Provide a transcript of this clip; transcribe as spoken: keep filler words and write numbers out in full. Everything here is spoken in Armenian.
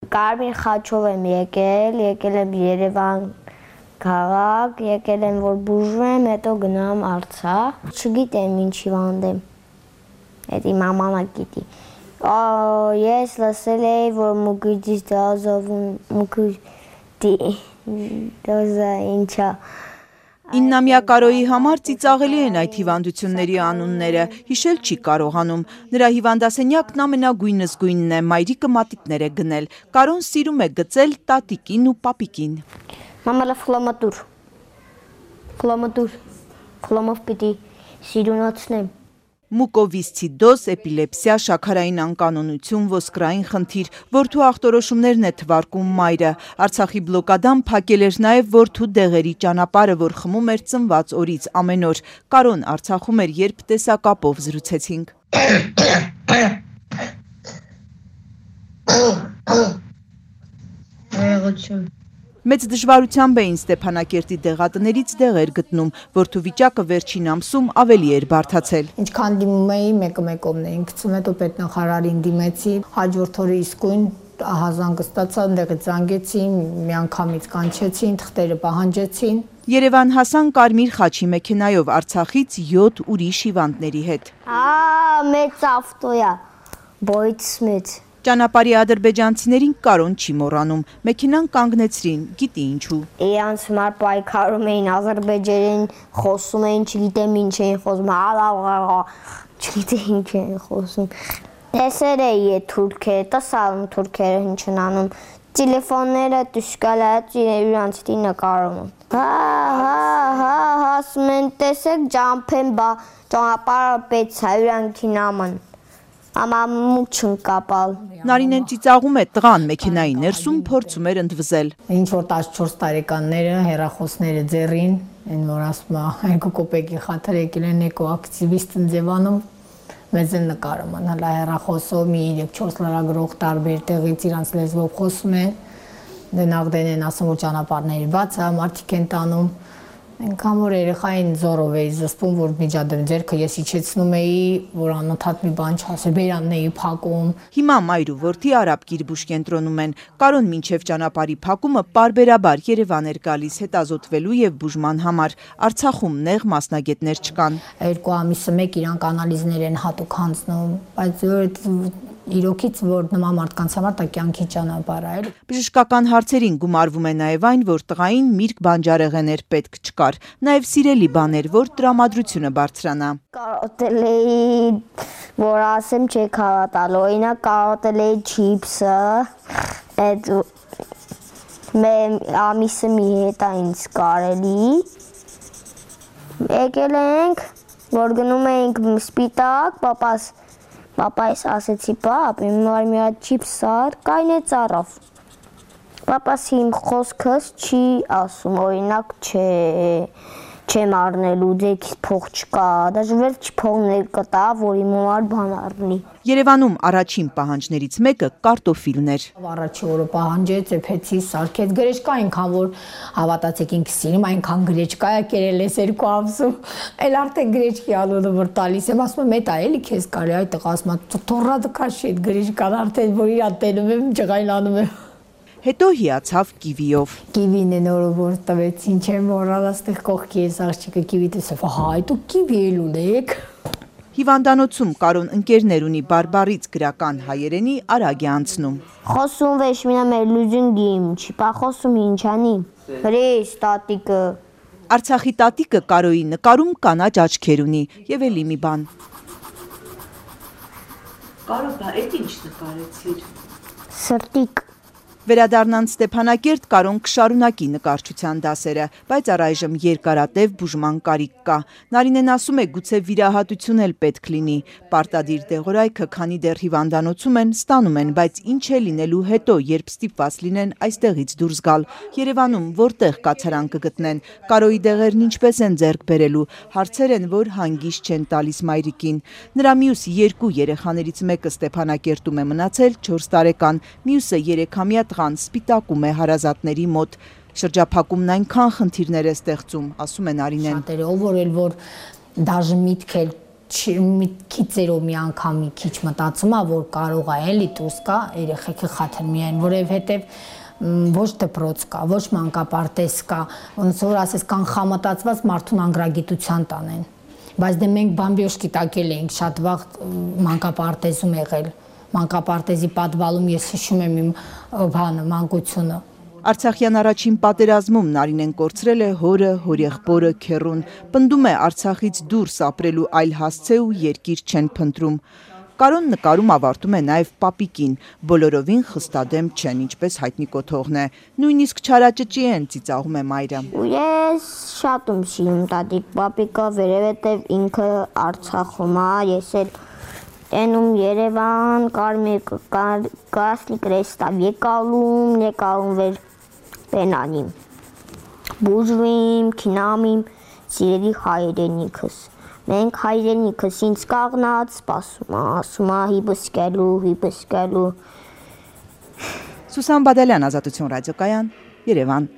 Կարմիր խաչով եմ եկել, եկել եմ Երևան քաղաք, եկել եմ որ բուժվեմ, հետո գնամ Արցախ։ Չգիտեմ ինչ հիվանդ եմ։ Էդի մաման գիտի։ Ես լսել էի, որ մուկրտիչ դազովում, մուկրտի դոզա ինչա։ Իննամյա Կարոյի համար ծիծաղելի են այդ հիվանդությունների անունները, հիշել չի կարողանում։ Նրա հիվանդասենյակն ամենագույն զգույնն է, մայրիկը մատիտներ է գնել։ Կարոն սիրում է գծել տատիկին ու պապիկին։ Մամալը ֆլամատուր, ֆլամատուր, ֆլամով պիտի սիրունացնեմ։ Մուկովիսցիդոզ, էպիլեպսիա, շաքարային անկանոնություն, ոսկրային խնդիր, որդու ախտորոշումներն է թվարկում մայրը։ Արցախի բլոկադան փակել էր նաև որդու դեղերի ճանապարհը, որ խմում էր ծնված օրից ամեն օր։ Կարոն Արցախում էր, երբ տեսակապով զրուցեցինք։ Մեծ դժվարությամբ էին Ստեփանակերտի դեղատներից դեղեր գտնում, որդու վիճակը վերջին ամսում ավելի էր բարդացել։ Ինչքան դիմում էի, մեկը մեկովն էին գցում, հետո պետնախարարին դիմեցի, հաջորդ օրը իսկույն ահազանգը ստացա, ընդեղից զանգեցին, միանգամից կանչեցին, թղթերը պահանջեցին։ Երևան հասան կարմիր խաչի մեքենայով Արցախից յոթ ուրիշ հիվանդների հետ։ Ա մեծ ավտոյա, բոյց մեծ։ Ճանապարհի ադրբեջանցիներին Կարոն չի մոռանում, մեքենան կանգնեցրին, գիտի ինչու։ Իրանց համար պայքարում էին, ադրբեջերեն խոսում էին, չգիտեմ ինչ էին խոսում, չգիտեմ ինչ էին խոսում։ Տեսեր էի է թուրքերը, տասալում թուրքերը ինչ են անում, տելեֆոնները տուշկալա իրանցի նկարում։ Հա, հա, հա, ասում են տեսեք ջամփեն բա ճանապարհը պետք է իրանքի նաման։ Ամամուկ չընկապալ։ Նարինեն ծիծաղում է տղան մեքենայի ներսում փորձում էր ընդվզել։ Ինչ որ տասնչորս տարեկանները հեռախոսները ձեռին, այն որ ասում է երկու կոպեկի խաթր եկել են էկոակտիվիստ Ձևանում, մեզ են նկարում, հələ հեռախոսով մի երեք-չորս լրագրող տարբեր տեղից իրանց լեզվով խոսում են, դենաղ դեն են ասում որ ճանապարհները բաց է, մարդիկ են տանում։ Այնքան որ երեխային զորով էի զսպում, որ միջադեմ ձեռքը ես իջեցնում էի, որ անընդհատ մի բան չասեր, բերանն էի փակում։ Հիմա մայր ու որդի Արաբ Կիրբուշ կենտրոնում են։ Կարոն մինչև ճանապարհի փակումը պարբերաբար Երևան էր գալիս հետազոտվելու եւ բուժման համար։ Արցախում նեղ մասնագետներ չկան։ Երկու ամիսը մեկ իրանք անալիզներ են հատուկ հանձնում, բայց իրոքից որ նման մարդկանց համար դա կյանքի ճանապարհ է։ Բժշկական հարցերին գումարվում է նաև այն, որ տղային միրգ բանջարեղեներ պետք չկար, նաև սիրելի բաներ, որ տրամադրությունը բարձրանա։ Կարոտել էի, որ ասեմ չէ կարոտալ, օրինակ կարոտել էի չիփսը, այդ ամիսը մի հետ է ինձ կարելի։ Եկել ենք, որ գնում էինք սպիտակ, պապաս Պապայս ասեցի, պապ, իմ մար մի հատ չիփս սար, կայնեց առավ։ Պապաս իմ խոսքս չի ասում, օրինակ չէ, չեմ առնելու, ձեքից փող չկա, դաժե վերջ փողներ կտա, որ իմ համար բան առնի։ Երևանում առաջին պահանջներից մեկը կարտոֆիլն էր։ Առաջի օրը պահանջեց, էփեցի, սարքեց, գրեչկա այնքան որ հավատացեք ինքս սիրում, այնքան գրեչկա է կերել ես երկու ամսում։ Էլ արդեն գրեչկի անունը որ տալիս եմ, ասում եմ, էդ է էլի քեզ կարի, այ տղա ասում է, թոռադը քաշի այդ գրեչկան արդեն որ իրա տենում եմ, ջղայլանում եմ։ Հետո հիացավ կիվիով։ Կիվին է նորը որ տվեցին, չեմ մոռալ, աստեղ կողքի ես աղջիկը կիվի տեսավ, հա, այդ ու կիվի էլ ունեք։ Հիվանդանոցում Կարոն ընկերներ ունի բարբառից գրական հայերենի արագ է անցնում։ Խոսում վեշ մինա մեր լուզունգիմ, չիպա խոսում ինչանի, հրես տատիկը։ Արցախի տատիկը Կարոյի նկարում կանաչ աչքեր ունի և էլի մի բան։ Կարո, բա էդ ինչ նկարեցիր։ Սրտիկ։ Վերադառնան Ստեփանակերտ Կարոն կշարունակի նկարչության դասերը, բայց առայժմ երկարատև բուժման կարիք կա։ Նարինեն ասում է գուցե վիրահատություն էլ պետք լինի։ Պարտադիր դեղորայքը, քանի դեռ հիվանդանոցում են, ստանում են, բայց ինչ է լինելու հետո, երբ ստիպված լինեն այստեղից դուրս գալ։ Երևանում որտեղ կացարան կգտնեն, Կարոյի դեղերն ինչպես են ձեռք բերելու, հարցեր են, որ հանգիստ չեն տալիս մայրիկին։ Նրա մյուս երկու երեխաներից մեկը Ստեփանակերտում է մնացել չորս տարեկան, մյուսը երեքամյա տղան սպիտակում է հարազատների մոտ։ Շրջափակումն այնքան խնդիրներ է ստեղծում, ասում է Նարինեն։ Շատերը ով որ էլ որ դաժե միտք էլ քիծերով մի անգամ մի քիչ մտածում է, որ կարող է էլի դուրս գա երեխեքի խաթր միայն, որովհետև ոչ դպրոց կա, ոչ մանկապարտեզ կա, ոնց որ ասես կանխամտածված մարդուն անգրագիտության տանեն։ Բայց դե մենք բամբիոշկի տակել էինք շատ վաղ մանկապարտեզում եղել, մանկապարտեզի պատվալում ես հիշում եմ իմ բանը, մանկությունը։ Արցախյան առաջին պատերազմում Նարինեն կորցրել է հորը, հորեղբորը, քեռուն, պնդում է Արցախից դուրս ապրելու այլ հասցե ու երկիր չեն փնտրում։ Կարոն նկարում ավարտում է նաև պապիկին, բոլորովին խստադեմ չեն, ինչպես հայտնի կոթողն է, նույնիսկ չարաճճի են, ծիծաղում է մայրը։ Ես շատ եմ սիրում տատիկ պապիկը, որովհետև ինքը Արցախում է, ես էլ տենում Երևան, կարմիր կասլի կրեստավ եկալում, եկալում վեր պենանիմ, բուժվիմ, քինամիմ, սիրելի հայրենիքս։ Մենք հայրենիքս ինձ կաղնած, սպասում է, ասում է հիբսկելու, հիբսկելու։ Սուսան Բադալյան, Ազատություն ռադիոկայան, Երևան։